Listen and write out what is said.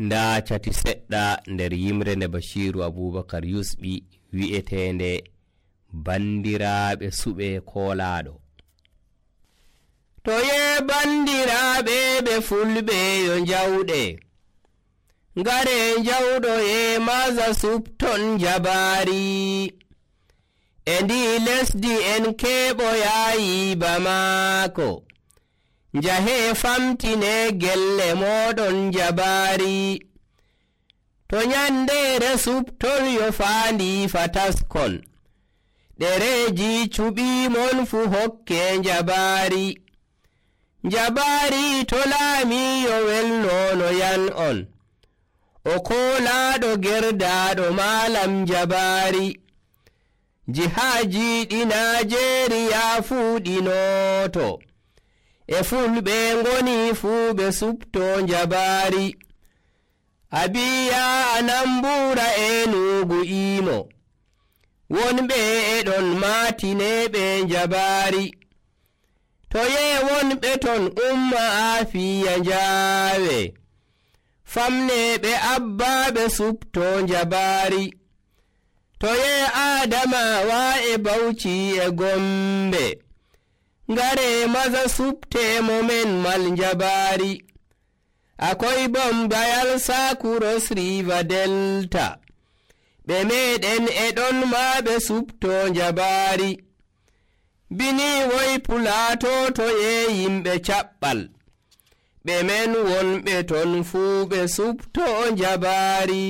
nda cati seɗɗa nder yimre nde Bashiru Abubakar Yusɓi wi'etende bandiraɓe suɓe koolaɗo. To ye bandiraɓe ɓe fulɓe yo jawɗe, ngare jawɗo ye maza supton jabari, e ndi lesdi en keɓoyayi bamako, njahe famtine gelle moɗon jabari. To nyandere supton yo faandi fataskon, ɗereji cuɓimon fu hokke jabari. Jabari to laami yo welnono yan on, o koolaɗo gerdaɗo malam jabari. Jihaji ɗi Najeriya fuɗinoto, e fulɓe ngoni fu ɓe supto jabari. Abiya Anambura Enugu Imo, wonɓe eɗon matine jabari. To ye wonɓe ton umma Afiya Njawe, famne ɓe Abba ɓe supto jabari. To ye Adamawa e Bauchi e Gombe, ngare maza supte momen mal jabari. Akoy Bayelsa Cross River Delta, ɓe meɗen e ɗon ma ɓe supto jabari. Bini woy Plateau to ye yimɓe caɓɓal, ɓe men wonɓe ton fuu ɓe supto jabari.